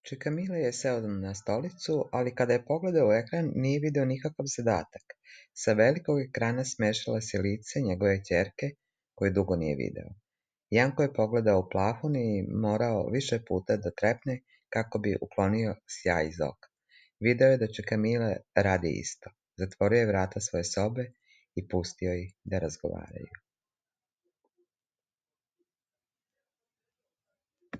Čika Mile je seo na stolicu, ali kada je pogledao u ekran, nije video nikakav zadatak. Sa velikog ekrana smešala se lice njegove ćerke, koju dugo nije video. Janko je pogledao u plafon i morao više puta da trepne kako bi uklonio sjaj iz oka. Video je da Čika Mile radi isto. Zatvorio je vrata svoje sobe i pustio ih da razgovaraju.